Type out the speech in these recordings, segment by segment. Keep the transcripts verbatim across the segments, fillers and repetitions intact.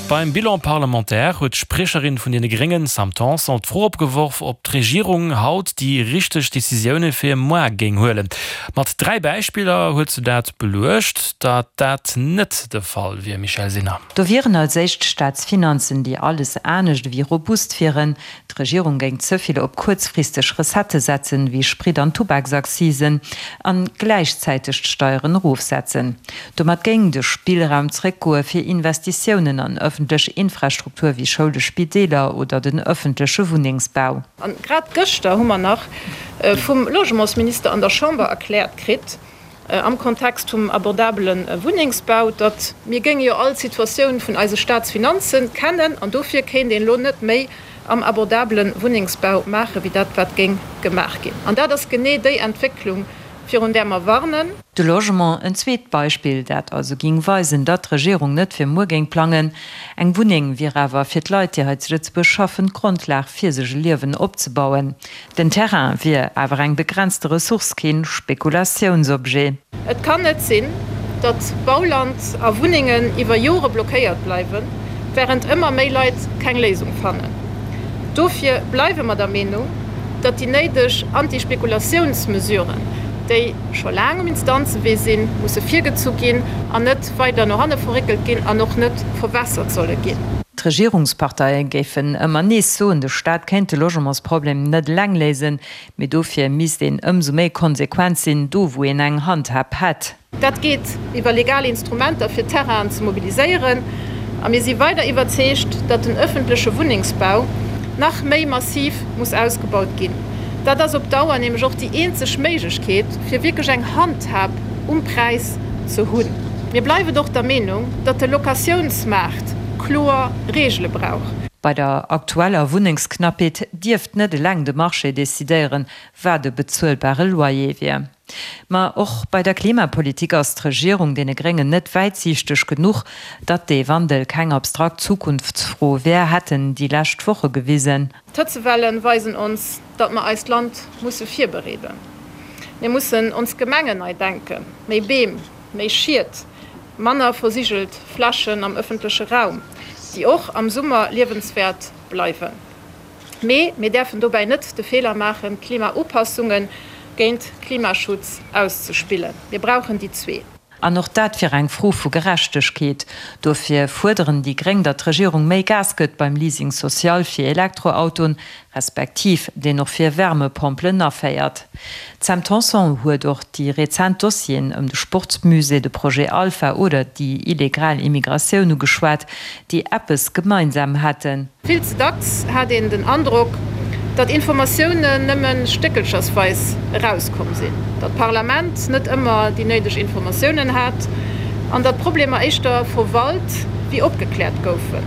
Beim Bilan parlementaire huet d'Spriecherin vun deene Gréngen Sam Tanson d'Fro opgeworf, ob d'Regierung haut déi richteg Decisioune fir muer géing huelen. Mat dräi Beispiller huet se dat beluecht, datt dat net de Fall wier, Michèle Sinner. Do wieren als éischt d'Staatsfinanzen, déi alles anescht ewéi robust wieren. D'Regierung géing ze vill op kuerzfristeg Recettë setzen, wéi Sprit an Tubaksaccisen, an gläichzäiteg d'Steieren erofsetzen. Domat géing de Spillraum zeréckgoe fir Investitiounen an ëffentlech Infrastruktur wéi Schoule, Spideeler oder den ëffentleche Wunnengsbau. A grad gëschter hu mer nach vum Logementsminister an der Chamber erkläert kritt, am Kontext vum abordabele Wunnengsbau, datt mir géinge jo all d'Situatioun vun eise Staatsfinanze kennen an dofir kéint een elo net méi am abordabele Wunnengsbau maache wéi dat wat géing gemaach ginn. An dat ass genee déi Entwécklung, virun där mer warnen. De Logement, en zweet Beispill, dat also ging weisen, datt d'Regierung net fir muer géing plangen. Eng Wunneng wier awer fir d'Leit, déi hei zu Lëtzebuerg schaffen, d'Grondlag fir sech e Liewen opzebauen. Den Terrain wier awer eng begrenzte Ressource, keen Spekulatiounsobjet. Et kann net sinn, datt Bauland a Wunnengen iwwer Jore blockéiert bleiwen, wärend ëmmer méi Leit keng Léisung fannen. Dofir bleiwe mer der Meenung, datt déi néideg Anti-Spekulatiounsmesuren, déi scho laang um Instanzewee sinn, musse virgezu ginn an net weider no hanne verréckelt ginn an och net verwässert solle ginn. D'Regierungsparteie géifen ëmmer nees soen, de Staat kéint de Logementsproblem net eleng léisen, mee dofir misst een ëmsou méi konsequent sinn, do wou een eng Handhab hätt. Dat geet iwwer legal Instrumenter fir Terrainen ze mobiliséieren. A mir si weider iwwerzeegt, datt den ëffentleche Wunnengsbau nach méi massiv muss ausgebaut ginn. Dat ass op Dauer nämlech och déi eenzeg Méiglechkeet, fir wierklech eng Handhab um Präis ze hunn. Mir bleiwen och der Meenung, datt de Locatiounsmaart kloer Reegele brauch. Bei der aktueller Wunnengsknappheet dierft net eleng de Marché decidéieren, wat e bezuelbare Loyer wier. Ma och bei der Klimapolitik ass d'Regierung deene Gréngen net wäitsiichteg genuch. Datt dee Wandel keng abstrakt Zukunftsfro wär, hätten déi lescht Woche gewisen. D'Hëtzewelle weisen ons, datt mer eist Land musse virbereeden. Mir mussen ons Gemengen nei denken, méi Beem, méi Schied, manner versigelt Flächen am ëffentleche Raum, déi och am Summer liewenswäert bleiwen. Mee mir däerfen dobäi net de Feeler maachen, Klimaupassungen géint Klimaschutz auszespillen. Mir brauchen déi zwee. An och dat wier eng Fro vu Gerechtegkeet. Dofir fuerderen déi Gréng, datt d'Regierung méi Gas gëtt beim Leasing social fir Elektroautoen, respektiv deen och fir Wärmepompelen aféiert. D'Sam Tanson huet och déi rezent Dossieren ëm de Sportsmusée, de Projet Alpha oder déi illegal Immigratioun ugeschwat, déi eppes gemeinsam hätten. Vill ze dacks hat een den Androck, datt Informatiounen nëmme stéckelchersweis erauskomm sinn, datt d'Parlament net ëmmer déi néideg Informatiounen hat an datt Problemer éischter verwalt wéi opgekläert goufen,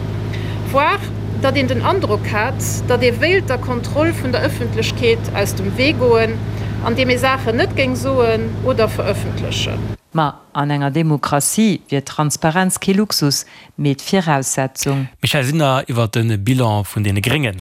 voire datt een den Androck hat, datt ee wéilt der Kontroll vun der Ëffentlechkeet aus dem Wee goen, andeem ee Saachen net géing soen oder verëffentlechen. Ma an enger Demokratie wier Transparenz kee Luxus, mee d'Viraussetzung. Michèle Sinner iwwer de Bilan vun deene Gréngen.